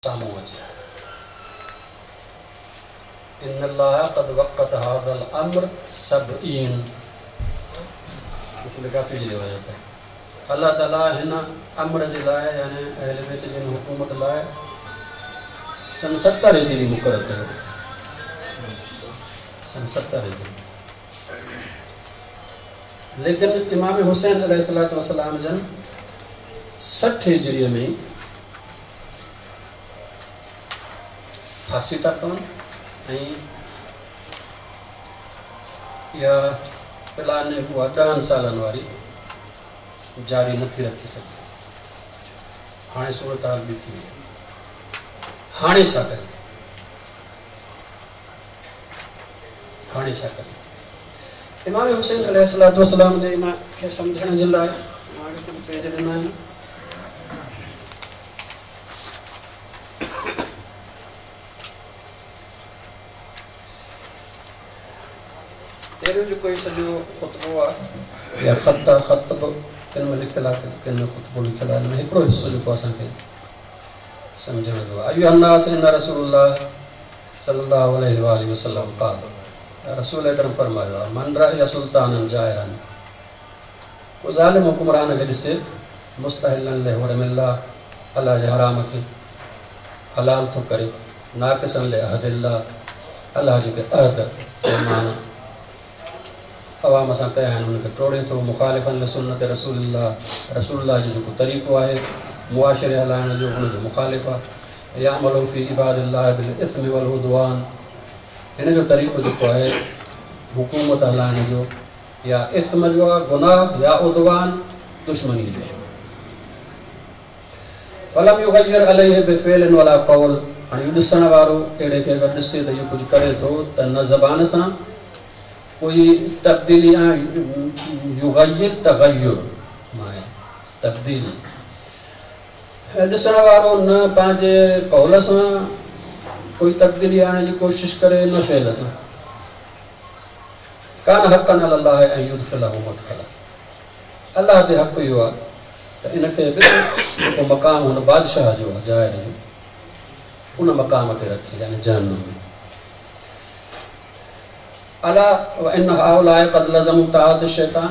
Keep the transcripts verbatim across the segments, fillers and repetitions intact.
साम्हूं अचे। इन अल्लाह क़द वक़्त हाज़ल अम्र सबईन, काफ़ी जी रिवायत आहे। अल्लाह ताला हिन अम्र जे लाइ यानी अहल बैत जी हुकूमत लाइ सन सतरि हिजरी मुक़ररु कयो, सन सतरि हिजरी। लेकिन इमाम हुसैन अलैहिस्सलातु वस्सलाम जन सठि हिजरीअ में फांसी था पवनि ऐं इहा प्लान उहा ॾहनि सालनि वारी जारी नथी रखी सघे। हाणे सूरत हाल बि थी वई, हाणे छा करिए, हाणे छा करिए? इमाम हुसैन अलैहिस्सलातु वस्सलाम जे इन खे सम्झण जे लाइ मां कुझु पेज ॾिना आहिनि। पहिरियों जेको सॼो ख़ुतबो आहे या ख़त आहे, ख़त बि किन में लिखियलु आहे, किन में ख़ुतबो लिखियलु आहे, हिन में हिकिड़ो हिसो जेको असांखे सम्झण जो आहे। अय्युहा अन्नास इन रसूलुल्लाह सल्लल्लाहु अलैहि वालैहि वसल्लम क़ाल, रसूल अकरम फरमायो आहे, मन रअया सुल्तानन जाइरन, को ज़ालिम हुकुमरान खे ॾिसे, मुस्तहिलन लिहुरमिल्लाह, अल्लाह जे हराम खे हलाल थो करे, नाक़िसन लिअहदिल्लाह, अल्लाह जेके अहद ईमान अवाम सां कया आहिनि हुनखे टोड़े थो, मुखालिफ़न लिसुन्नत रसूलुल्लाह, रसूलुल्लाह जो जेको तरीक़ो आहे मुआशरे हलाइण जो हुनजो मुखालिफ़ आहे, यामलु फ़ी इबादिल्लाह बिल इस्म वल उदवान, हिन जो तरीक़ो जेको आहे हुकूमत हलाइण जो या इस्म जो आहे गुनाह या उदवान दुश्मनी जो। फलम युग़य्यिर अलैहि बिफ़िअलिन वला क़ौल, हाणे इहो ॾिसण वारो अहिड़े खे अगरि ॾिसे त इहो कुझु करे थो त न ज़बान सां कोई तब्दीली, युग़य्यिर तग़य्युर माए तब्दीली, ॾिसण वारो न पंहिंजे क़ौल सां कोई तब्दीली आणण जी कोशिशि करे न फ़ेल सां। कान हक़्क़न अलल्लाह अन युदखिलहु मदखला, अल्लाह ते हक़ इहो आहे त इनखे बि जेको मक़ाम हुन बादशाह जो आहे ज़ाहिर जो उन मक़ाम ते रखे, यानी जहन्नुम में। अला व इन हाउलाए क़द लज़मू ताअत शैतान,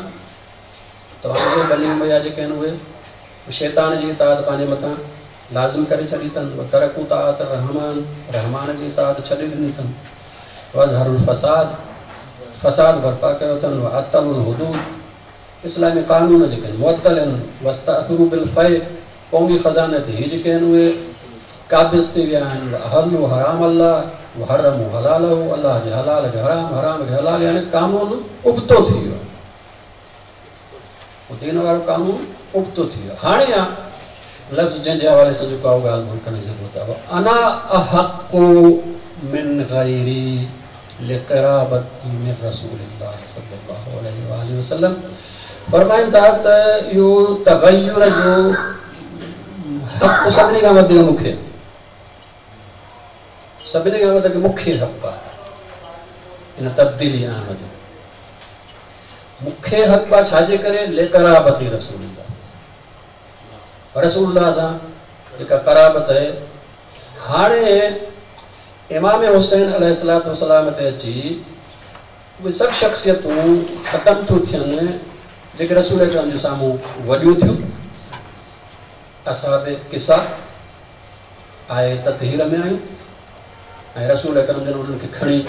तव्हांजे बनी उमैया जेके आहिनि उहे शैतान जी इताअत पंहिंजे मथां लाज़िम करे छॾी अथनि, व तरकू ताअत रहमान, रहमान जी इताअत छॾी ॾिनी अथनि, वज़हरुल फसाद, फसाद बर्पा कयो अथनि, व अतलुल हुदूद, इस्लामी कानून जेके आहिनि मुअत्तल आहिनि, वस्तअसरू बिल फ़ै, क़ौमी ख़ज़ाने ते ही जेके आहिनि उहे काबिज़ थी विया आहिनि, व अहलू हराम अल्लाह व हरमू हलालहू, अल्लाह जे हलाल खे हराम, हराम खे हलाल, यानी कानून उबतो थी वियो, दीन वारो कानून उबतो थी वियो। हाणे आहे लफ़्ज़ जंहिंजे हवाले सां जेको आहे ॻाल्हि ॿोल करण जी ज़रूरत आहे, अना अहक़ु मिन ग़ैरी लिक़राबती मिन रसूलिल्लाह सल्लल्लाहु अलैहि वालैहि वसल्लम। फरमाइनि था त इहो तग़य्युर जो हक़ सभिनी खां वधीक मूंखे, सभिनी खां वधीक मूंखे हक़ आहे इन तब्दीली आणण जो, मूंखे हक़ आहे छाजे करे लिक़राबती रसूलिल्लाह, रसूलुल्लाह सां जेका क़राबत आहे। हाणे इमाम हुसैन अलैहिस्सलातु वस्सलाम ते अची उहे सभु शख़्सियतूं ख़तमु थियूं थियनि जेके रसूल अकरम जे साम्हूं वॾियूं थियूं, असाब किसा आए ततहीर में आयूं ऐं रसूल अकरम जन उन्हनि खे खणी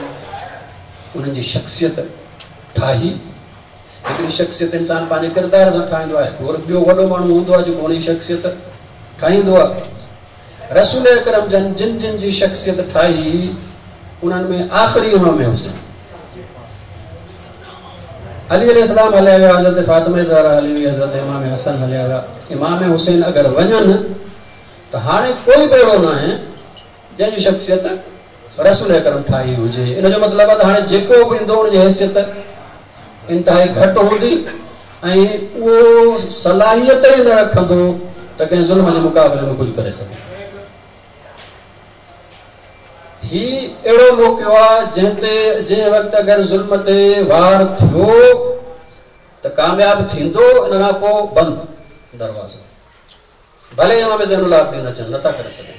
उन्हनि जी शख़्सियत ठाही। हिकिड़ी शख़्सियत इंसान पंहिंजे किरदार सां ठाहींदो आहे, वरी ॿियो वॾो माण्हू हूंदो आहे जेको हुनजी शख़्सियत ठाहींदो आहे। रसूल अकरम जन जिन जिन जी शख़्सियत ठाही उन्हनि में आख़िरी इमाम हुसैन अली अलैहिस्सलाम हलिया विया, हज़रत फ़ातिमा ज़हरा हली वई, हज़रत इमाम हसन हलिया विया। इमाम हुसैन अगरि वञनि त हाणे कोई बि अहिड़ो न आहे जंहिंजी शख़्सियत रसूल अकरम ठाही हुजे। इन जो मतिलबु आहे त हाणे जेको बि ईंदो हुनजी हैसियत इंतिहाई घटि हूंदी ऐं उहो सलाहियत ई न रखंदो त कंहिं ज़ुल्म जे मुक़ाबले में कुझु करे सघे। ही अहिड़ो मौक़ो आहे जंहिं ते जंहिं वक़्तु अगरि ज़ुल्म ते वार थियो त कामयाबु थींदो, इन खां पोइ बंदि दरवाज़ो, भले इमाम ज़ैनुल आबिदीन अचनि, नथा करे सघनि।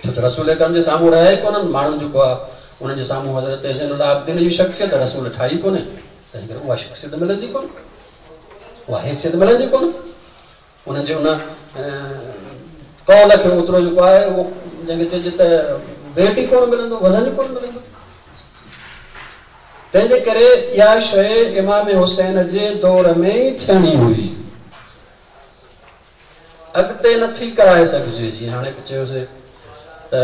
छो त रसूल अकरम जे साम्हूं रहे कोन्हनि माण्हुनि जेको आहे उन्हनि जे साम्हूं हज़रत ज़ैनुल आबिदीन जी शख़्सियत रसूल ठाही कोन्हे, तंहिं करे उहा शख़्सियत मिलंदी कोन, उहा हैसियत मिलंदी कोन। उन्हनि जे उन कौल खे ओतिरो जेको आहे उहो जंहिंखे चइजे त वेट ई कोन मिलंदो, वज़न ई कोन मिलंदो। तंहिंजे करे इहा शइ इमाम हुसैन जे दौर में ई थियणी हुई, अॻिते नथी कराए सघिजे। जीअं हाणे चयोसीं त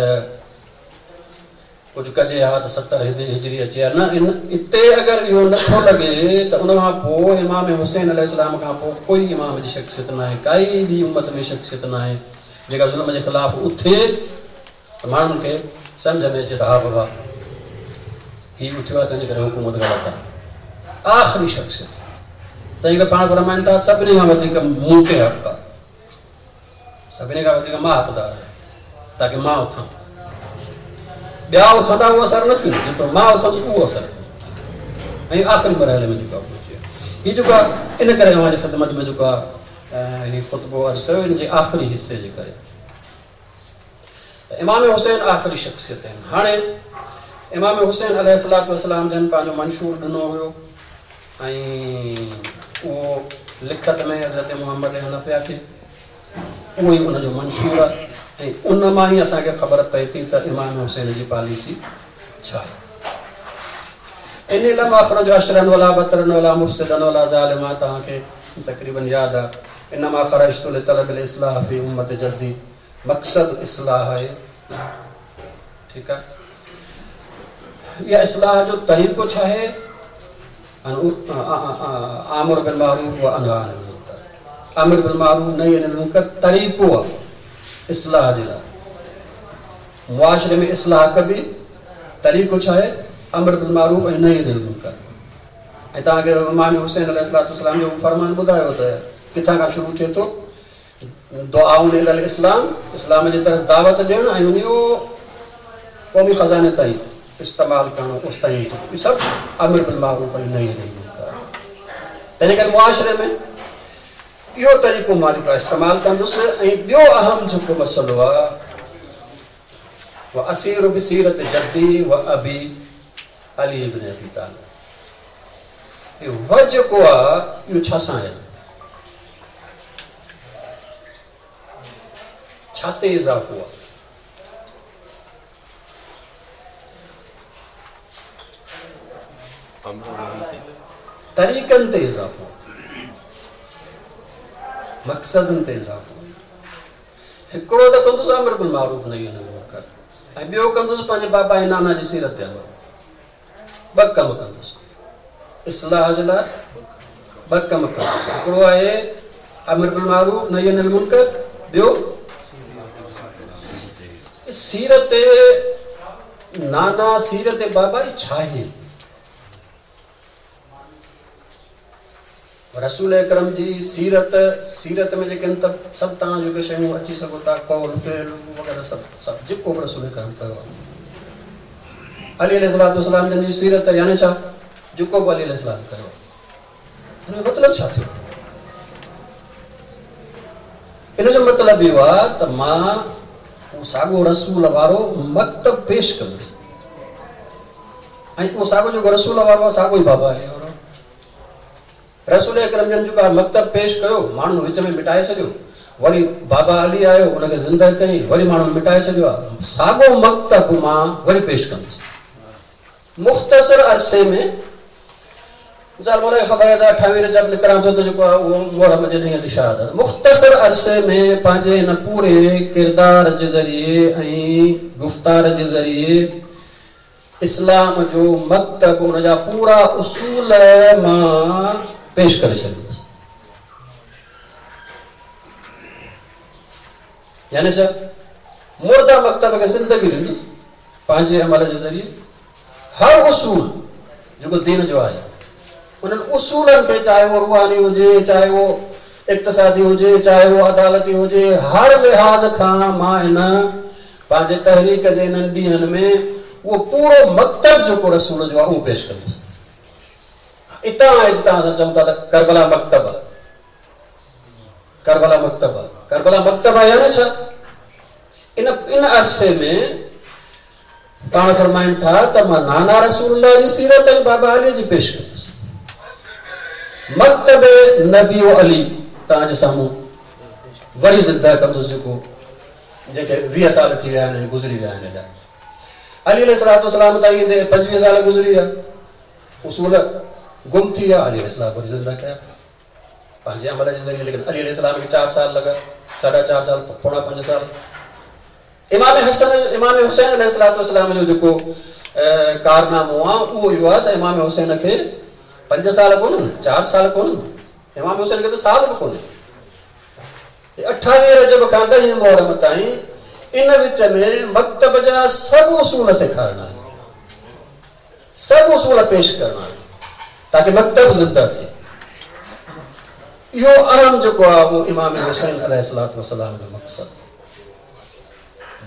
कुझु कजे हा त सतरि हिजरी अचे हा, न इन हिते अगरि इहो नथो लॻे त उन खां पोइ इमाम हुसैन अलैहिस्सलाम खां पोइ कोई इमाम जी शख़्सियत न आहे, काई बि उम्मत में शख़्सियत न आहे जेका ज़ुल्म जे ख़िलाफ़ उथे त माण्हुनि खे सम्झ में अचे त हा बाबा हीउ उथियो आहे, तंहिंजे करे हुकूमत ग़लति आहे। आख़िरी शख़्सियत तंहिं करे पाण फरमाइनि था सभिनी खां वधीक मूं ते हक़ आहे, सभिनी खां वधीक मां हक़दार आहियां, ताकी मां उथां। ॿिया उथंदा उहो असरु न थींदो, जेतिरो मां उथंदुसि उहो असरु थींदो। ऐं आख़िरी मरहले में जेको आहे पहुची वियो। हीउ जेको आहे इन करे अव्हांजी ख़िदमत में जेको आहे हीउ ख़ुतबो अर्ज़ु कयो इन जे आख़िरी हिसे जे करे। त इमाम हुसैन आख़िरी शख़्सियत आहिनि। हाणे इमाम हुसैन अलैहिस्सलातु वस्सलाम जन पंहिंजो मंशूर ॾिनो हुयो ऐं उहो लिखत में हज़रत मोहम्मद हनफिया खे उहो ई उनजो मंशूर आहे ऐं उन मां ई असांखे ख़बर पए थी त इमाम हुसैन जी पॉलिसी छा आहे। इन लम अखरुज अशरन वला बतरन वला मुफ़सिदन वला ज़ालिमा, तव्हांखे तक़रीबन यादि आहे। इनमा ख़रजतु लितलब इस्लाह फ़ी उम्मत जद्दी, मक़सदु इस्लाह आहे, ठीकु आहे। इहा इस्लाह जो तरीक़ो छा आहे? आमिर बिल मारूफ़ व अनहा अनिल मुनकर। आमिर बिल मारूफ़ नही अनिल मुनकर तरीक़ो आहे इस्लाह जे लाइ। मुआशरे में इस्लाह कबी तरीक़ो छा आहे? अमर बिल मारूफ़ ऐं नही अनिल मुनकर। ऐं तव्हांखे इमाम हुसैन अलैहिस्सलातु वस्सलाम जो फरमान ॿुधायो त किथां खां शुरू थिए थो? दुआउन इलल इस्लाम, इस्लाम जे तरफ़ दावत ॾियणु ऐं उन क़ौमी ख़ज़ाने ताईं इस्तेमालु करणु, उस ताईं इहो सभु अमर बिल मारूफ़ ऐं नही अनिल मुनकर। तंहिंजे करे मुआशरे में इहो तरीक़ो मां जेको आहे इस्तेमालु कंदुसि। ऐं ॿियो अहम जेको मसइलो आहे व असीर बसीरत जद्दी व अबी अली इब्न अबी तालिब, इहो व जेको आहे इहो छा सां आहे? छा ते इज़ाफ़ो आहे? तरीक़नि ते इज़ाफ़ो, मक़सदनि ते इज़ाफ़ो। हिकिड़ो त कंदुसि अमर बिल मारूफ़ नही अनिल मुनकर ऐं ॿियो कंदुसि पंहिंजे बाबा ऐं नाना जी सीरत ते अमल। ॿ कम कंदुसि इस्लाह जे लाइ, ॿ कम कंदुसि। हिकिड़ो आहे अमर बिल मारूफ़ नही अनिल मुनकर, ॿियो सीरत नाना सीरत बाबा छा आहे? रसूल अकरम जी सीरत, सीरत में जेके आहिनि त सभु तव्हां जेके शयूं अची सघो था, कौल फ़िल वग़ैरह सभु सभु जेको बि रसूल अकरम कयो आहे। अली अलैहिस्सलातु वस्सलाम जन जी सीरत यानी छा? जेको बि अली अलैहिस्सलाम कयो आहे, हुनजो मतिलबु छा थियो? इन जो मतिलबु इहो आहे त मां उहो साॻियो रसूल वारो मकतब पेश कंदुसि ऐं उहो साॻियो जेको रसूल वारो आहे साॻियो ई बाबा अली वारो। रसूल अकरम जन जेको मकतब पेश कयो, माण्हुनि विच में मिटाए छॾियो, वरी बाबा अली आयो उनखे ज़िंदा कयईं, वरी माण्हुनि मिटाए छॾियो आहे। साॻियो मकतब मां वरी पेश कंदुसि मुख़्तसर अरसे में। मिसाल मूंखे ख़बर आहे त अठावीह रजब निकिरां थो त जेको आहे उहो मुहर्रम जे ॾींहं ते शहादत। मुख़्तसर अरसे में पंहिंजे हिन पूरे किरदार जे ज़रिए ऐं गुफ़्तार जे ज़रिए इस्लाम जो मकतब उनजा पूरा उसूल मां पेश करे छॾींदुसि। यानी छा? मुर्दा मकतब खे ज़िंदगी ॾींदुसि पंहिंजे अमल जे ज़रिए। हर उसूल जेको दीन जो आहे उन्हनि उसूलनि खे, चाहे उहो रूहानी हुजे, चाहे उहो इक़्तिसादी हुजे, चाहे उहो अदालती हुजे, हर लिहाज़ खां मां हिन पंहिंजे तहरीक जे इन्हनि ॾींहंनि में उहो पूरो मकतब जेको रसूल जो आहे उहो पेश कंदुसि। इतां जितां असां चऊं था त करबला मकतब आहे, करबला मकतब आहे, करबला मकतब आहे यानी छा? इन इन अरसे में पाण फरमाइनि था त मां नाना रसूलुल्लाह जी सीरत ऐं बाबा अली जी पेश कंदुसि। मकतब नबी ओ अली तव्हांजे साम्हूं वरी ज़िंदा कंदुसि, जेको जेके वीह साल थी विया आहिनि, गुज़री विया आहिनि। अली अलैहिस्सलातु वस्सलाम ताईं ईंदे पंजवीह साल गुज़री विया, उसूल गुम थी विया, अली अलैहिस्सलाम वरी ज़िंदा कया पंहिंजे अमल जे ज़रिए। लेकिन अली अलैहिस्सलाम खे चारि साल लॻा, साढा चारि साल, पौणा पंज साल। इमाम हसन, इमाम हुसैन अलैहिस्सलातु वस्सलाम जो जेको कारनामो आहे उहो इहो आहे त इमाम हुसैन खे पंज साल कोन्हनि, चारि साल कोन्हनि, इमाम हुसैन खे त साल बि कोन्हे। अठावीह रजब खां ॾहीं मुहर्रम ताईं इन विच में मकतब जा सभु उसूल सेखारणा आहिनि, सभु उसूल पेश करणा आहिनि ताकि मकतब ज़िंदा थिए। इहो अहम जेको आहे उहो इमाम हुसैन अलैहिस्सलातु वस्सलाम जो मक़सदु।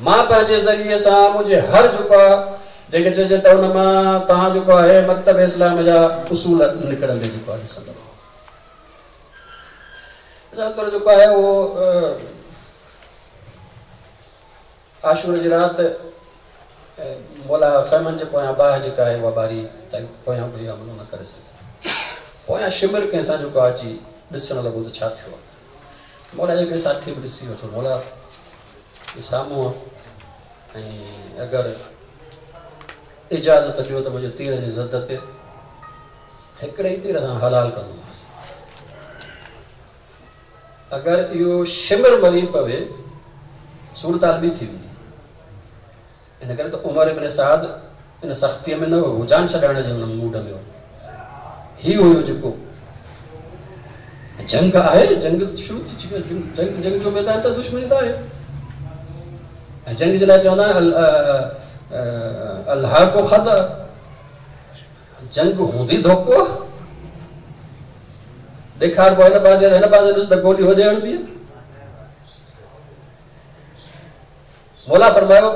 मां पंहिंजे ज़रिए सां मुंहिंजे हर जेको आहे जंहिंखे चइजे त हुन मां तव्हां जेको आहे मकतब इस्लाम जा उसूल निकिरंदे जेको आहे ॾिसंदव। मिसाल तौर जेको आहे उहो आशूर जी राति मौला ख़ैमनि जे पोयां बाहि जेका आहे उहा ॿारी त पोयां बि हमलो न करे सघे। पोयां शिमर कंहिंसां जेको आहे अची ॾिसण लॻो त छा थियो आहे। मौला जे हिकिड़े साथी बि ॾिसी वरितो, मौला साम्हूं ऐं अगरि इजाज़त ॾियो त मुंहिंजे तीर जी ज़द ते हिकिड़े ई तीर सां हलाल कंदोमांसि। अगरि इहो शिमर मरी पवे सूरत हाल ॿी थी वेंदी। इन करे त उमर इब्न साद इन सख़्तीअ में न हुयो, जान छॾाइण जे हुन मूड में हुयो। हीउ हुयो जेको जंग आहे, जंग शुरू थी चुकी, जंग जंग जो मैदान त दुश्मनी त आहे। ऐं जंग जे लाइ चवंदा आहिनि अल्लाह को ख़द, जंग हूंदी धोको ॾेखारिबो हिन पासे हिन पासे ॾिस त गोली होॾे हणबी। मौला फरमायो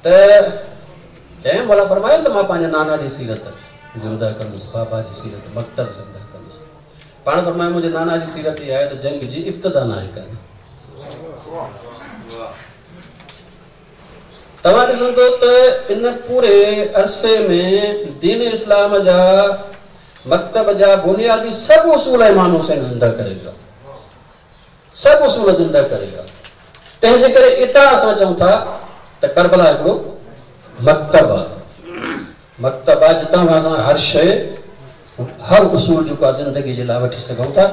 त चयईं, मौला फरमायो त मां पंहिंजे नाना जी सीरत ज़िंदा कंदुसि, बाबा जी सीरत, मकतब ज़िंदा कंदुसि। पाण फरमायो मुंहिंजे नाना जी सीरत इहा आहे त जंग जी इब्तिदा न आहे करणी। तव्हां ॾिसंदो त इन पूरे अरसे में दीन इस्लाम जा मकतब जा बुनियादी सभु उसूल इमाम हुसैन ज़िंदा करे वियो, सभु उसूल ज़िंदा करे वियो। तंहिंजे करे इतां असां चऊं था त करबला हिकिड़ो मकतब आहे, मकतब आहे जितां खां असां हर शइ हर उसूल जेको आहे ज़िंदगी जे लाइ वठी सघूं था।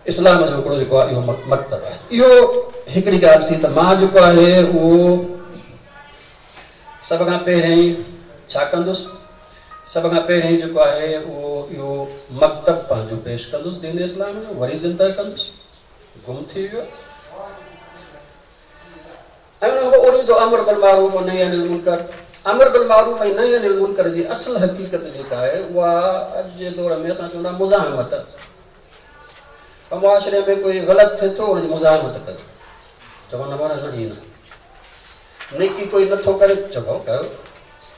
इस्लाम जो हिकिड़ो जेको आहे इहो मकतब आहे। इहो हिकिड़ी ॻाल्हि थी त मां जेको आहे उहो सभ खां पहिरियों छा कंदुसि, सभ खां पहिरियों जेको आहे उहो इहो मकतब पंहिंजो पेश कंदुसि दीन इस्लाम जो, वरी ज़िंदा कंदुसि, गुम थी वियो। ऐं हुन खां पोइ उरीदु अमर बिल मारूफ़ नही अनिल मुनकर। अमर बिल मारूफ़ ऐं नही अनिल मुनकर जी असल हक़ीक़त जेका आहे उहा अॼु जे दौर में असां चवंदा मुज़ाहिमत। मुआशरे में कोई ग़लति थिए थो हुनजी मुज़ाहिमत कयो, चवंदा न न ईअं न, नेकी कोई नथो करे चओ कयो,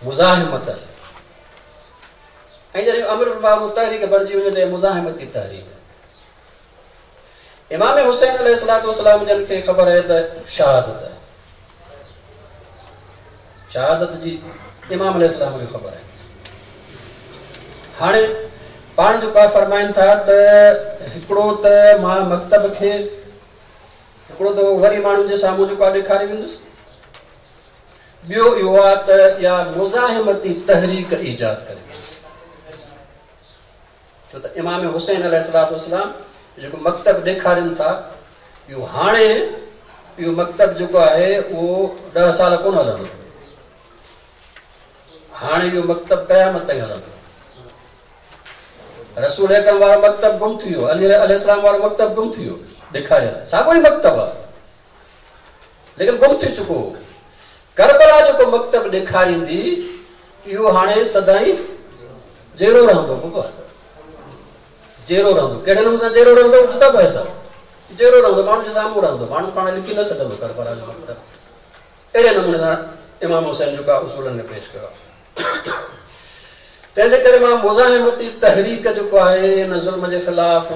मुज़ाहिमत आहे। ऐं जॾहिं अमर बिल मारूफ़ तहरीक बणिजी वञे त मुज़ाहिमती तहरीक। इमाम हुसैन अलैहिस्सलातु वस्सलाम जन खे ख़बर आहे त शहादत आहे, शहादत जी इमाम अलैहिस्सलाम खे ख़बर आहे। हाणे पाण जेको आहे फरमाइनि था त हिकिड़ो त मां मकतब खे हिकिड़ो त वरी माण्हुनि जे साम्हूं जेको आहे ॾेखारे वेंदुसि, ॿियो इहो आहे त इहा मुज़ाहिमती तहरीक ईजाद करे। छो त इमाम हुसैन अलैहिस्सलातु वस्सलाम जेको मकतब ॾेखारनि था इहो हाणे इहो मकतब जेको आहे उहो ॾह साल कोन हलंदो, हाणे इहो मकतब क़यामत ताईं हलंदो। रसूल अकरम वारो मकतब गुम थी वियो, अली अलैहिस्सलाम वारो मकतब गुम थी वियो, ॾेखारियल साॻियो ई मकतब आहे लेकिन गुम थी चुको। करबला जेको मकतब ॾेखारींदी इहो हाणे सदाईं जहिड़ो रहंदो, बाबा जहिड़ो रहंदो। कहिड़े नमूने सां जहिड़ो रहंदो? जुदा पैसा जहिड़ो रहंदो, माण्हू जे साम्हूं रहंदो, माण्हू पाण लिखी न सघंदो करबला जो मकतब। अहिड़े नमूने सां इमाम हुसैन जेको आहे उसूलनि में पेश कयो आहे। तंहिंजे करे मां मुज़ाहिमती तहरीक जेको आहे इन ज़ुल्म जे ख़िलाफ़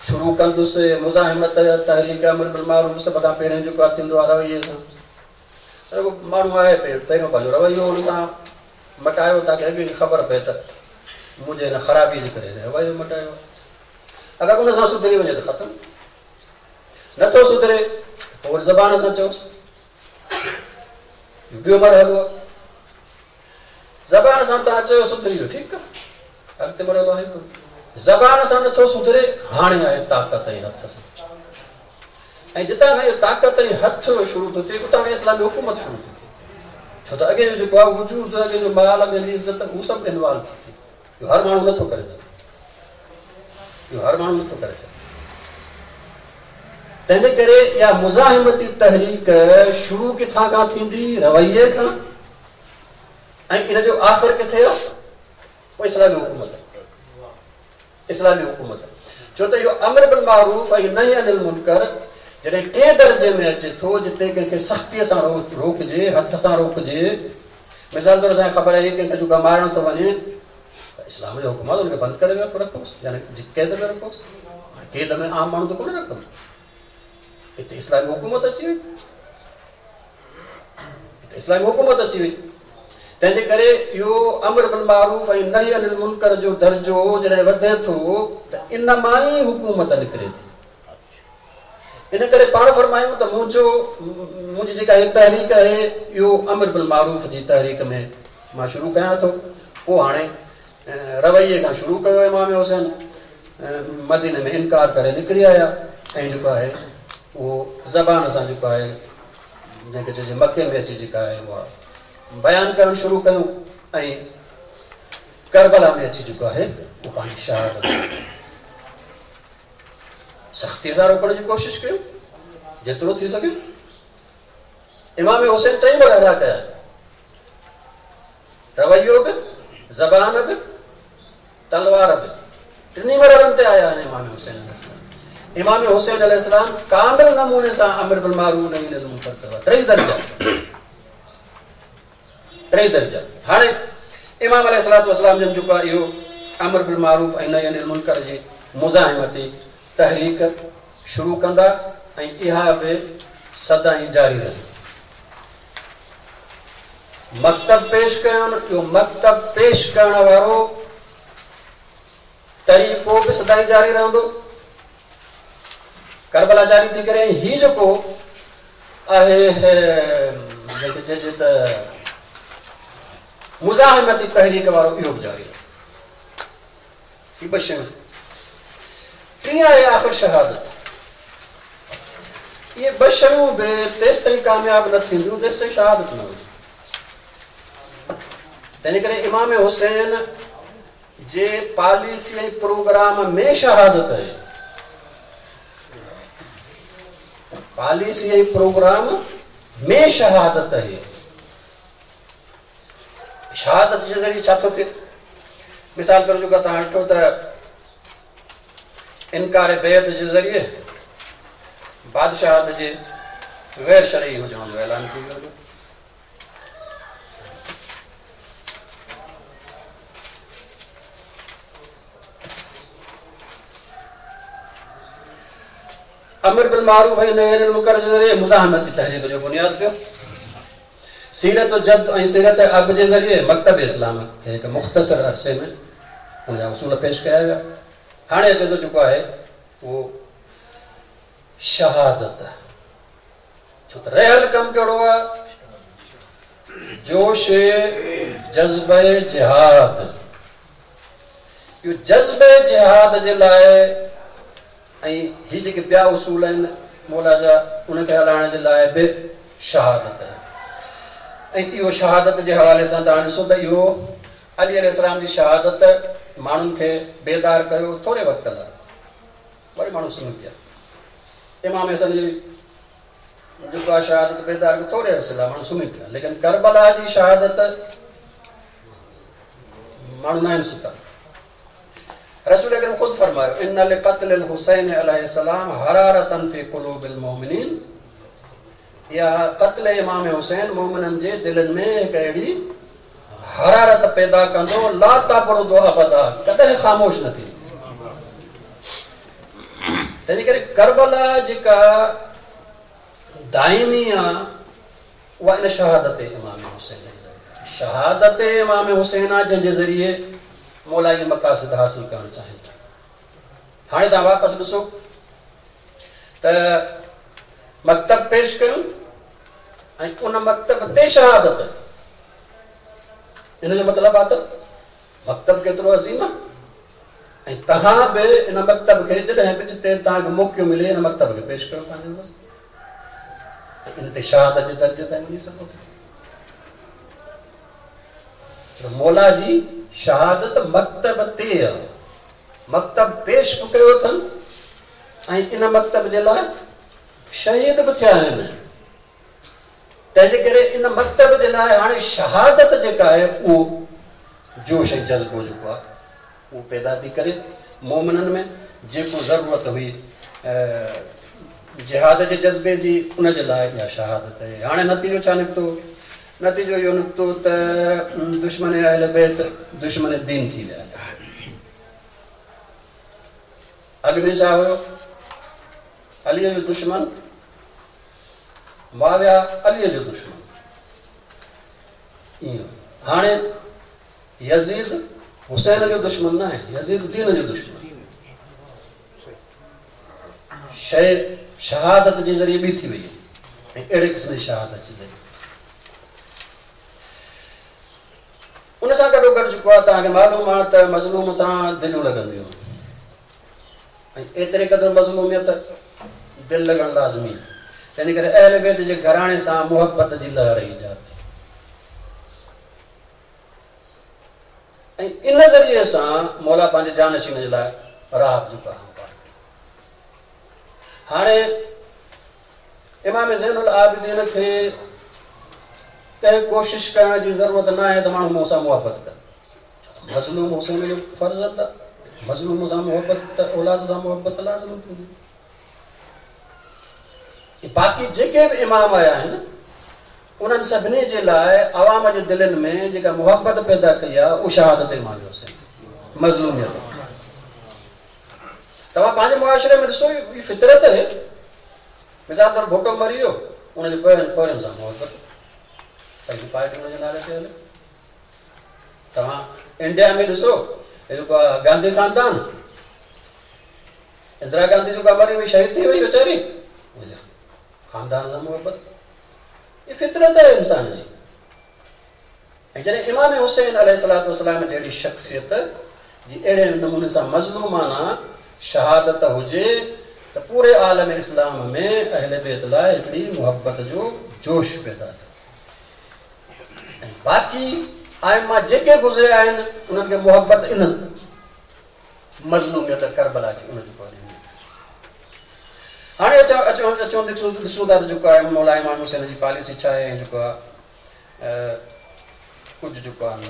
शुरू कंदुसि मुज़ाहिमत तहरीक अमर बिल मारूफ़ सभ खां पहिरियों जेको आहे थींदो आहे रवैये सां। माण्हू आहे पहिरियों पंहिंजो रवैयो हुन सां मटायो ताकि अॻे ख़बर पए त मुंहिंजे हिन ख़राबी जे करे रवैयो मटायो। अगरि उन सां सुधरी वञे त ख़तमु, नथो सुधरे पोइ वरी ज़बान सां चओसि। ॿियो मरहलो आहे, ज़बान सां तव्हां चयो सुधरी वियो, ठीकु आहे, अॻिते मरहलो आहे ज़बान सां नथो सुधरे, हाणे आहे ताक़त ऐं हथ सां। ऐं जितां खां इहो ताक़त ऐं हथ शुरू थो थिए उतां खां इस्लामी हुकूमत शुरू थी थिए। छो त अॻे जो जेको आहे वजूद, अॻे जो माल, अॻे जी इज़त, हू सभु इन्वॉल्व थी थिए। इहो हर माण्हू नथो करे सघे, इहो हर माण्हू नथो करे सघे। तंहिंजे करे इहा मुज़ाहिमती तहरीक शुरू किथां खां थींदी? रवैये खां। ऐं इन जो आख़िर किथे आहे? उहो इस्लामी हुकूमत, इस्लामी हुकूमत। छो त इहो अमर बिल मारूफ़ ऐं नही अनिल मुनकर जॾहिं टे दर्जे में अचे थो, जिते कंहिंखे सख़्तीअ सां रोकजे, हथ सां रोकजे। मिसाल तौर असांखे ख़बर आहे कंहिंखे जेको मारणु थो वञे त इस्लाम जो हुकुम आहे हुनखे बंदि करे रखोसि, यानी क़ैद में रखोसि। क़ैद में आम माण्हू त कोन रखंदो, हिते इस्लामी हुकूमत अची वई, हिते इस्लामी हुकूमत अची वई। तंहिंजे करे इहो अमर बिल मारूफ़ ऐं नही अनिल मुनकर जो दर्जो जॾहिं वधे थो त इन मां ई हुकूमत निकिरे थी। इन करे पाण फरमायूं त मुंहिंजो मुंहिंजी जेका हीअ तहरीक आहे इहो अमर बिल मारूफ़ जी तहरीक में मां शुरू कयां थो। पोइ हाणे रवैये खां शुरू कयो इमाम हुसैन, मदीने में इनकार करे निकिरी आया ऐं जेको आहे उहो ज़बान सां जेको आहे जंहिंखे चइजे मक्के में अची जेका आहे उहा बयानु करणु शुरू कयूं ऐं करबला में अची जेको आहे उहो पंहिंजी शहादत सख़्तीअ सां रोकण जी कोशिशि कयूं जेतिरो थी सघे। इमाम हुसैन टई मरहला कया, रवैयो बि, ज़बान बि, तलवार बि, टिन्ही मरहलनि ते आया आहिनि इमाम हुसैन अलैहिस्सलाम। इमाम हुसैन अलैहिस्सलाम कामिल नमूने सां अमर बिल मारूफ़ नही अनिल मुनकर कयो आहे। टेई दर्जा, टेई दर्जा। हाणे इमाम अलैहिस्सलाम जन जेको आहे इहो अमर बिल मारूफ़ ऐं नही अनिल मुनकर जी मुज़ाहिमती तहरीक शुरू कंदा ऐं इहा बि सदाईं जारी रही। मकतब पेश कयुनि, इहो मकतब पेश करण वारो तरीक़ो बि सदाईं जारी रहंदो। करबला जारी थी करे हीउ जेको आहे जंहिंखे चइजे त मुज़ाहिमती तहरीक वारो इहो बि जारी रहे। हीअ ॿ शयूं। टीं आहे आख़िर शहादत। इहे ॿ शयूं बि तेसि ताईं कामयाबु न थींदियूं जेसि ताईं शहादत न हुजे। तंहिंजे करे इमाम हुसैन जे पॉलिसी ऐं प्रोग्राम में शहादत आहे, पॉलिसी ऐं प्रोग्राम में शहादत आहे। शहादत जे ज़रिए छा थो थिए? मिसाल तौर जेको तव्हां ॾिठो त इनकार बैत जे ज़रिए बादशाहत जे गैर शरई हुजण जो ऐलान थी वियो। अमर बिल मारूफ़ ऐं नही अनिल मुनकर जे ज़रिए मुज़ाहिमती तहरीक जो बुनियादु पियो। सीरत जद ऐं सीरत अब जे ज़रिए मकतब इस्लाम खे हिकु मुख़्तसर अरसे में हुनजा उसूल पेश कया विया। हाणे अचे थो जेको आहे उहो शहादत। छो त रहियल कमु कहिड़ो आहे? जोश जज़्बे जिहाद। इहो जज़्बे जिहाद जे लाइ ऐं हीअ जेके ॿिया उसूल आहिनि मौला जा उनखे हलाइण जे लाइ बि शहादत आहे। ऐं इहो शहादत जे हवाले सां तव्हां ॾिसो त इहो अली अलैहिस्सलाम जी शहादत माण्हुनि खे बेदार कयो थोरे वक़्त लाइ, वरी माण्हू सुम्ही पिया। इमाम हसन जी जेको आहे शहादत बेदार कयो थोरे अरसे लाइ, माण्हू सुम्ही पिया। लेकिन करबला जी शहादत माण्हू न आहिनि सुता। रसूल अकरम ख़ुदि फरमायो, इन्न लिक़त्ल हुसैन अलैहिस्सलाम हरारतन फ़ी क़ुलूबिल मोमिनीन। इहा क़त्ल इमाम हुसैन मोमिननि जे दिलनि में हिकु अहिड़ी हरारत पैदा कंदो, ला तबरुदु अबदा, कॾहिं ख़ामोश न थींदी। तंहिंजे करे करबला जेका दाइमी आहे उहा इन शहादत इमाम हुसैन जे ज़रिए, शहादत इमाम हुसैन आहे जंहिंजे ज़रिए मौला इहे मक़ासिद हासिल करणु चाहिनि था। हाणे तव्हां वापसि ॾिसो त मकतब पेश कयूं ऐं उन मकतब ते शहादत, इन जो मतिलबु आहे त मकतब केतिरो अज़ीम आहे ऐं तव्हां बि इन मकतब खे जॾहिं बि जिते तव्हांखे मौक़ो मिले इन मकतब खे पेश कयो पंहिंजो, बसि इन ते शहादत जे दर्जे ताईं वञी सघो था। मौला जी शहादत मकतब ते आहे, मकतब पेश बि कयो अथनि ऐं इन मकतब जे लाइ शहीद बि थिया आहिनि। तंहिंजे करे इन मकतब जे लाइ हाणे शहादत जेका आहे उहो जोश ऐं जज़्बो जेको आहे उहो पैदा थी करे मोमिननि में, जेको ज़रूरत हुई जिहाद जे जज़्बे जी उन जे लाइ इहा शहादत आहे। हाणे नतीजो छा निकितो? नतीजो इहो निकितो त दुश्मन अहल बैत दुश्मन दीन थी विया। अॻु में छा हुयो? अलीअ जो दुश्मन मुआविया, अलीअ जो दुश्मन ईअं। हाणे यज़ीद हुसैन जो दुश्मन न आहे, यज़ीद दीन जो दुश्मन। शइ शहादत जे ज़रिए ॿी थी वई ऐं अहिड़े क़िस्म जी शहादत जे ज़रिए उन सां गॾोगॾु जेको आहे तव्हांखे मालूम आहे त मज़लूम सां दिलियूं लॻंदियूं ऐं एतिरे क़दुरु मज़लूमियत दिलि लॻणु लाज़मी आहे। तंहिंजे करे अहल बैत जे घराणे सां मुहबत जी लहर ईजाद थी ऐं इन ज़रिए सां मौला पंहिंजे जानशीन जे लाइ राह जेको आहे। हाणे इमाम ज़ैनुल आबिदीन खे कंहिं कोशिश करण जी ज़रूरत न आहे त माण्हू मूंसां मुहबत कनि। मज़लूम हुसैन जो फ़र्ज़ आहे, मज़लूम सां मुहबत त औलाद सां मुहबत लाज़मी थींदी। बाक़ी जेके बि इमाम आया आहिनि उन्हनि सभिनी जे लाइ अवाम जे दिलनि में जेका मुहबत पैदा कई आहे उहा शहादत इमाम हुसैन मज़लूमियत। तव्हां पंहिंजे मुआशिरे में ॾिसो इहा फितरत आहे। मिसाल तौरु भुटो मरी वियो, उनजे पोयनि पोयनि सां मुहबत, पंहिंजी पार्टी हुनजे नाले ते हले। तव्हां इंडिया में ॾिसो जेको आहे गांधी ख़ानदान, इंदिरा गांधी जेका मरी वई शहीद थी वई वीचारी, ख़ानदान सां मुहबत। इहा फितरत आहे इंसान जी। ऐं जॾहिं इमाम हुसैन अलैहिस्सलातु वस्सलाम जहिड़ी शख़्सियत जी अहिड़े नमूने सां मज़लूमाना शहादत हुजे त पूरे आलम इस्लाम में अहल बैत लाइ हिकिड़ी मुहबत जो जोश पैदा थियो। ऐं बाक़ी आइमा जेके गुज़रिया आहिनि उन्हनि खे मुहबत इन मज़लूमियत करबला जी उन जो ॾिनी। हाणे अचो अचो अचो ॾिसूं ॾिसूं था त जेको आहे मौला इमाम हुसैन जी पॉलिसी छा आहे ऐं जेको आहे कुझु जेको आहे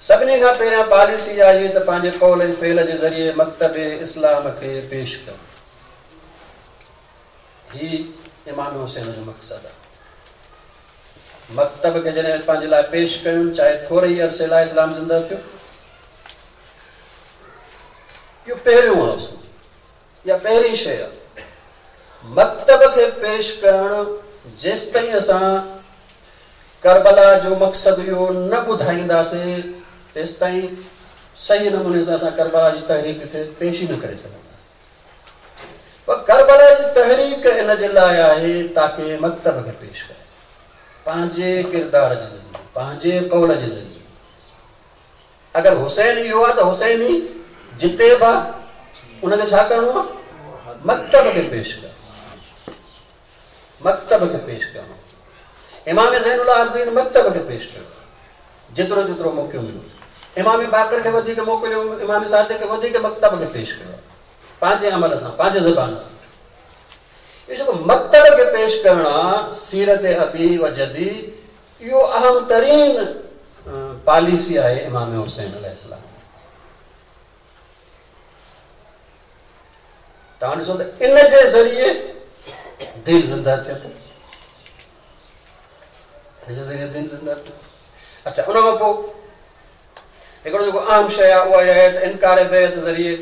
सभिनी खां पहिरियां पॉलिसी आहे त पंहिंजे कौल ऐं फ़ेल जे ज़रिए मकतब इस्लाम खे पेश करणु। ही इमाम हुसैन जो मक़सदु आहे। मकतब खे जॾहिं पंहिंजे लाइ पेश कयूं, चाहे थोरे ई अरसे लाइ इस्लाम ज़िंदा थियो, इहो पहिरियों आहे या पहिरीं शइ आहे। मकतब खे पेश करणु जेसि ताईं असां करबला जो मक़सदु इहो न ॿुधाईंदासीं तेसि ताईं सही नमूने सां असां करबला जी तहरीक खे पेश ई न करे सघंदासीं। पर करबला जी तहरीक इन जे लाइ आहे ताकी मकतब खे पेश करे पंहिंजे किरदार जे ज़रिए, पंहिंजे कौल जे ज़रिए। अगरि हुसैन इहो आहे त हुसैन ई जिते बि आहे उनखे छा करिणो आहे? मकतब खे पेश करणो, मकतब खे पेश करणो। इमाम ज़ैनुल आबिदीन मकतब खे पेश कयो जेतिरो जेतिरो मौक़ो मिलियो। इमाम बाक़िर खे वधीक मोकिलियो, इमाम सादिक़ खे वधीक मकतब खे पेश कयो पंहिंजे अमल सां, पंहिंजे ज़बान सां। इहो जेको मकतब खे पेश करणु आहे सीरत अबी व जदी, इहो अहम तरीन पॉलिसी आहे इमाम हुसैन अलैहिस्सलाम। तव्हां ॾिसो त इन जे ज़रिए दिलु ज़िंदा थिए थो, इन जे ज़रिए दिलु ज़िंदा थियो। अच्छा, उन खां पोइ हिकिड़ो जेको अहम शइ आहे उहा आहे त इनकार बैत ज़रिए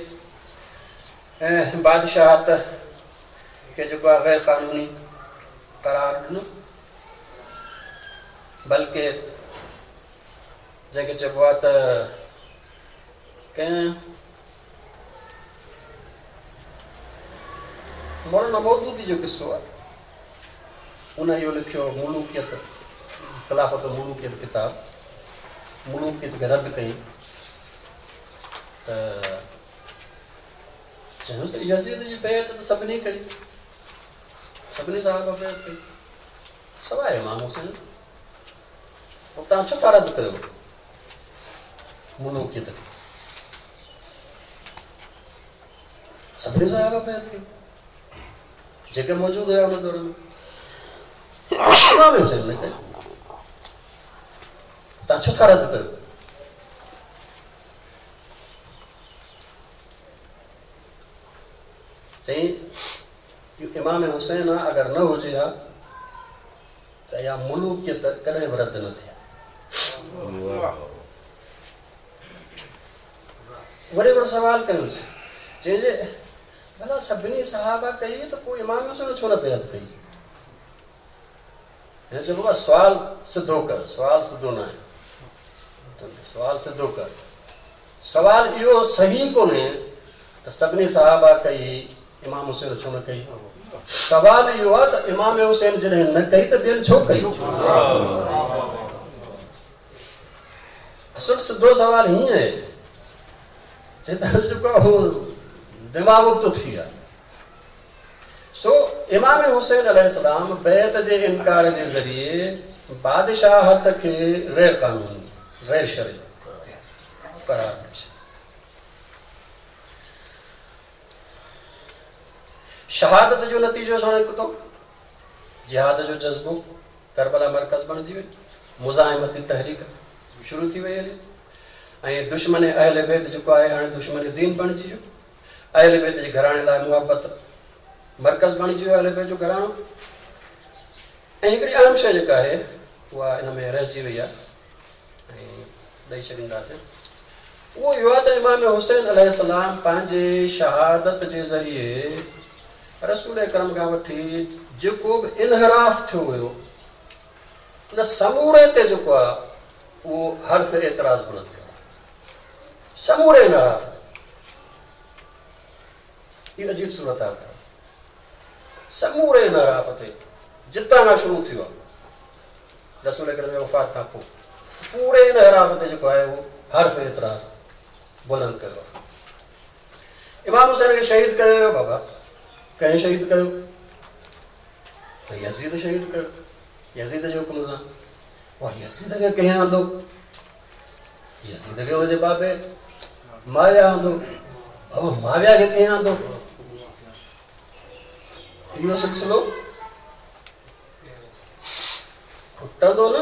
बादशाहत खे जेको आहे ग़ैर क़ानूनी करार ॾिनो, बल्कि जंहिंखे चइबो आहे त कंहिं मौलाना मौदूदी जो क़िसो आहे, उन इहो लिखियो मुलूकियत, ख़िलाफ़त मुलूकियत किताब, मुलूकियत खे रद्द कई त चयूंसि त यज़ीद जी बैअत त सभिनी कई, सभिनी साहब बैअत कई सवाइ इमाम हुसैन, पोइ तव्हां छो था रद्द कयो मुलूकियत खे? सभिनी साहब बैअत कई जेके मौजूद हुया हुन दौर में, इमाम हुसैन न कई, तव्हां छो था रद्द कयो? चई इमाम हुसैन अगरि न हुजे हा त इहा मुलूकियत कॾहिं बि रद्द न थिए। वरी हिकिड़ो सवालु कयुसि, चइजे भला सभिनी सहाबा कई त पोइ इमाम हुसैन छो न बैअत कई? हिन चयो बाबा सुवाल सिधो कर, सुवाल सिधो न आहे, सुवाल सिधो कर। सवाल इहो सही कोन्हे त सभिनी सहाबा कई इमाम हुसैन छो न कई। सवाल इहो आहे त इमाम हुसैन जॾहिं न कई त ॿियनि छो कई? असुलु सिधो सवाल हीअं आहे, जेको आहे उहो दिमाग़ उबतो थी वियो आहे। सो इमाम हुसैन अलैहिस्सलाम बैअत जे इनकार जे ज़रिए बादशाहत खे ग़ैर क़ानूनी, ग़ैर शरई करार ॾिनो। शहादत जो नतीजो छा निकितो? जिहाद जो जज़्बो, करबला मरकज़ बणिजी वई, मुज़ाहिमती तहरीक शुरू थी वई हली, ऐं दुश्मन अहल बैत जेको आहे हाणे दुश्मन दीन बणिजी वियो। अहल बैत जे घराणे लाइ मुहबत मरकज़ बणिजी वियो अहल बैत जो घराणो। ऐं हिकिड़ी अहम शइ जेका आहे उहा इन में रहिजी वई आहे ऐं ॾेई छॾींदासीं, उहो इहो आहे त इमाम हुसैन अलैहिस्सलाम पंहिंजे शहादत जे ज़रिए रसूल करम खां वठी जेको बि इनहिराफ़ थियो हुयो उन समूरे ते जेको आहे उहो हर्फ एतिराज़ बुलंद कयो, समूरे इनहिराफ़। इहो अजीब सूरत हाल अथव, समूरे इनहिराफ़ ते जितां खां शुरू थियो आहे रसूल करम जी वफ़ात खां पोइ पूरे इनहिराफ़ ते जेको आहे उहो हर्फ एतिराज़ बुलंद कयो आहे। इमाम हुसैन खे शहीद कयो वियो, बाबा कंहिं शहीद कयो? यज़ीद शहीद कयो, यज़ीद जे हुकुम सां। उहा यज़ीद खे कंहिं आंदो? यज़ीद खे हुनजे बाबे माविया आंदो। बाबा माविया खे कंहिं आंदो? इहो सिलसिलो खुटंदो न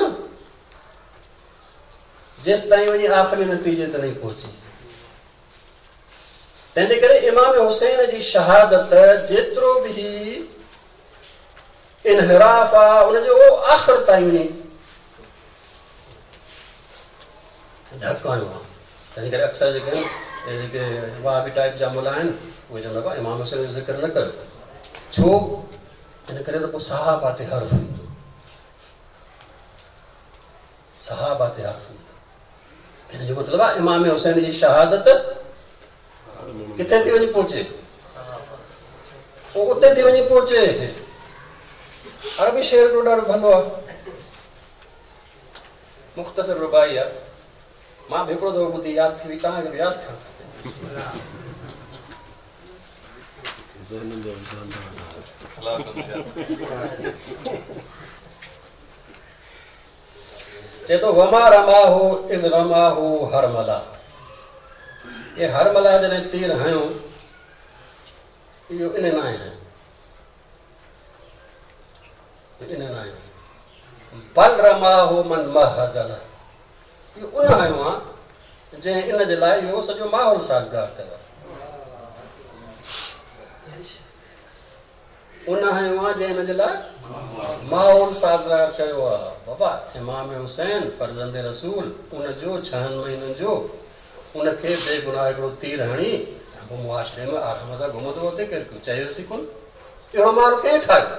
जेसि ताईं वञी आख़िरी नतीजे ते नहीं पहुची। तंहिंजे करे इमाम हुसैन जी शहादत जेतिरो बि इनहिराफ़ आहे उनजो आख़िर ताईं वञी धक हणियो आहे। तंहिंजे करे अक्सर जेके आहिनि जेके वहाबी टाइप जा मुला आहिनि उहे चवंदा हुआ इमाम हुसैन जो ज़िक्र न कयो, छो? इन करे त पोइ सहाबा ते हर्फ ईंदो, सहाबा ते हर्फ ईंदो। हिन जो मतिलबु आहे इमाम हुसैन जी शहादत किथे थी वञी पहुचे? पोइ उते थी वञी पहुचे। अरबी शेर हिकिड़ो ॾाढो भलो आहे, मुख़्तसर रुबाई आहे, मां बि हिकिड़ो दफ़ो ॿुधी यादि थी वई, तव्हांखे बि यादि थियणु खपे। चए थो वमा रमाहू is रमाहू हरमला, ये हरमला जॾहिं तीर हणियो इहो इन न आहे, इन न आहे, बल रमाहू मन महदल, इहो उन हणियो आहे जंहिं इन जे लाइ इहो सॼो माहौल साज़गार कयो आहे। उन हणियो आहे जंहिं इन जे लाइ माहौल साज़गार कयो आहे। बाबा इमाम हुसैन फर्ज़ंद रसूल उनजो छहनि महीननि जो उनखे बेगुनाह हिकिड़ो तीर हणी पोइ मुआशरे में आराम सां घुमंदो हुते, केरु कुझु चयोसीं कोन। अहिड़ो माहौल कंहिं ठाहियो?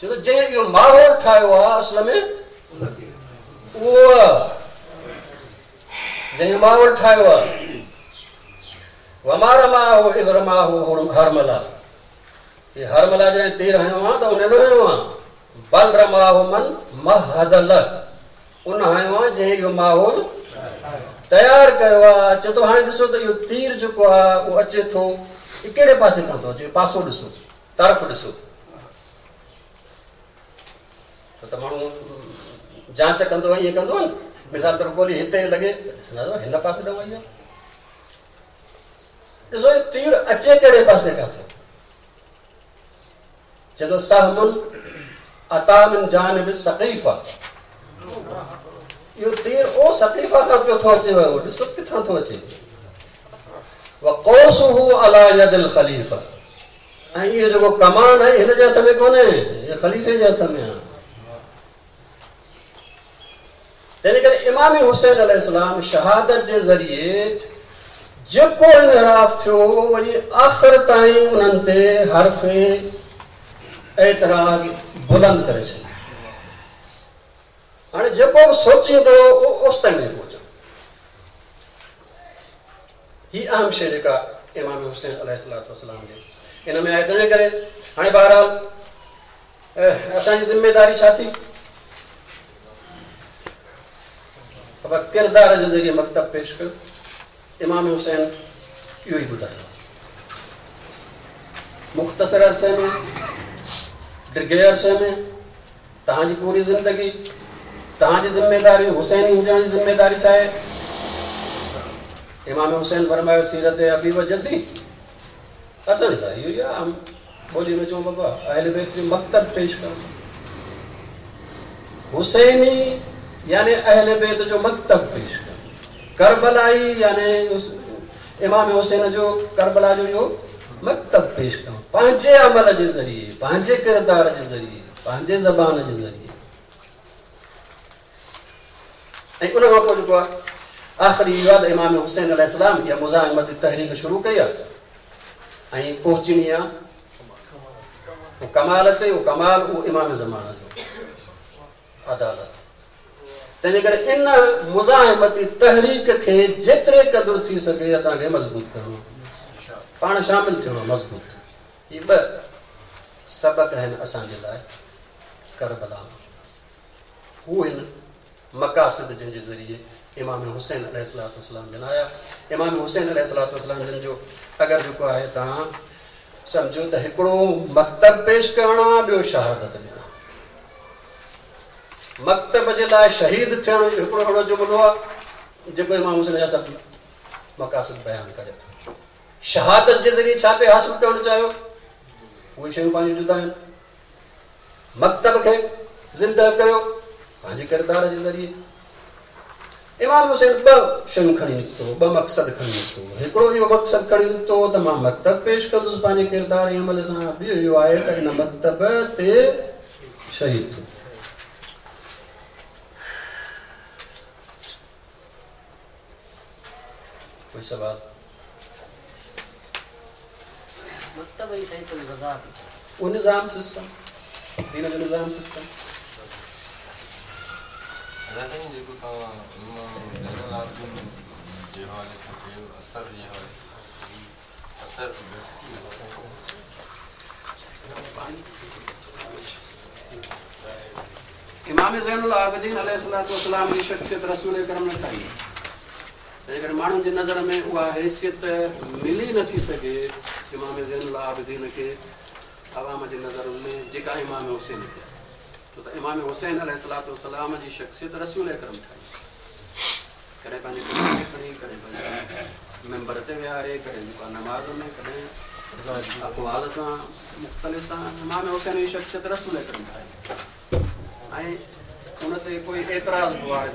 छो त जंहिं इहो माहौल ठाहियो आहे असल में उहो जंहिं माहौल ठाहियो आहे। वमा रमाहु is रमाहु हरमला, हे हरमला जॾहिं तीर हयो आहे त उन न हयो आहे, बल रमाहु मन महदल, उन हयो आहे जंहिं इहो माहौल तयारु कयो आहे। चए थो हाणे ॾिसो त इहो तीर जेको आहे उहो अचे थो, कहिड़े पासे खां थो अचे? पासो ॾिसो, तरफ़ ॾिसो। त माण्हू जांच कंदो आहे, ईअं कंदो आहे न। मिसाल तौरु गोली हिते लॻे त ॾिसंदा हिन पासे ॾांहुं आई आहे। ॾिसो तीर अचे कहिड़े पासे खां थो? चए थो सहमुन अता मिन जानिब सक़ीफ़ा, इहो तीर ओ सक़ीफ़ा खां पियो थो अचे वयो, ॾिसो किथां थो अचे। वक़ौसुहु अला यदिल ख़लीफ़ा, ऐं इहो जेको कमान आहे हिन जे हथ में कोन्हे, इहो ख़लीफ़े जे हथ में आहे। तंहिंजे करे इमाम हुसैन अलैहिस्सलाम शहादत जे ज़रिए जेको इनहिराफ़ थियो वञी आख़िर ताईं उन्हनि ते हर्फ़ एतिराज़ बुलंद करे छॾियो। हाणे जेको बि सोचींदो उहो ओसि ताईं नहीं पहुचो। हीअ अहम शइ जेका इमाम हुसैन अलैहिस्सलाम जे इन में आहे। तंहिंजे करे हाणे बहरहाल असांजी ज़िम्मेदारी छा थी? ख़बर किरदार जे ज़रिए मकतब पेश कयो। इमाम हुसैन इहो ई ॿुधायो। मुख़्तसर अरसे में, डिघे अरसे में तव्हांजी पूरी ज़िंदगी, तव्हांजी ज़िम्मेदारी, हुसैनी हुजण जी ज़िम्मेदारी छा आहे? इमाम हुसैन फरमायो सीरत अबी व जद्दी। असांजी त इहो ई आहे, आम ॿोली में चऊं बाबा अहल बैत जो मकतब पेश करणु। हुसैनी यानी अहल बैत जो मकतब पेश करणु, करबलाई यानी इमाम हुसैन जो करबला जो इहो मकतब पेश करणु, पंहिंजे अमल जे ज़रिए, पंहिंजे किरदार जे ज़रिए, पंहिंजे ज़बान जे ज़रिए। ऐं उन खां पोइ जेको आहे आख़िरी इहो आहे त इमाम हुसैन अलैहिस्सलाम इहा मुज़ाहिमती तहरीक शुरू कई आहे ऐं पहुचणी आहे कमाल ते, उहो कमाल उहो इमाम ज़माना जो अदालत। तंहिंजे करे इन मुज़ाहिमती तहरीक खे जेतिरे क़दुरु थी सघे असांखे मज़बूत करिणो, पाण शामिल थियणो मज़बूत। इहे ॿ सबक आहिनि असांजे लाइ करबला में। हू आहिनि मक़ासिद जंहिंजे ज़रिए इमाम हुसैन अलैहिस्सलाम जन आया। इमाम हुसैन अलैहिस्सलाम जन जो अगरि जेको आहे तव्हां सम्झो त हिकिड़ो मकतब पेश करणु आहे, ॿियो शहादत ॾियणु। मकतब जे लाइ शहीद थियणु हिकिड़ो अहिड़ो जुमिलो आहे जेको इमाम हुसैन जा सभु मक़ासिद बयानु करे थो। शहादत जे ज़रिए छा पिए हासिल करणु चाहियो, उहे शयूं पंहिंजूं जुदा आहिनि। मकतब खे ज़िंदा कयो पंहिंजे किरदार जे ज़रिए। इमाम हुसैन ॿ शयूं खणी निकितो, ॿ मक़सद खणी निकितो। हिकिड़ो इहो मक़सदु खणी निकितो त मां मकतब पेश कंदुसि पंहिंजे किरदार ऐं अमल सां, ॿियो इहो आहे त इन मकतब ते शहीद थियो। कोई सवाल? उहो निज़ाम सिस्टम, दीन जो निज़ाम सिस्टम। इमाम ज़ैनुल आबिदीन अलैहिस्सलाम जी शख्सियत रसूल करम ने ठाही। तंहिंजे माण्हुनि जी नज़र में उहा हैसियत मिली नथी सघे इमाम ज़ैनुल आबिदीन खे अवाम जी नज़रुनि में जेका इमाम हुसैन खे। छो त इमाम हुसैन अलैहिस्सलाम जी शख्सियत रसूल करम ठाही। कॾहिं पंहिंजे खणी, कॾहिं पंहिंजे मेंबर ते विहारे, कॾहिं जेको नमाज़ में, कॾहिं अक़वाल सां मुख़्तलिफ़ सां इमाम हुसैन जी शख्सियत रसूल करम ठाही ऐं उन ते कोई एतिराज़ बि आहे।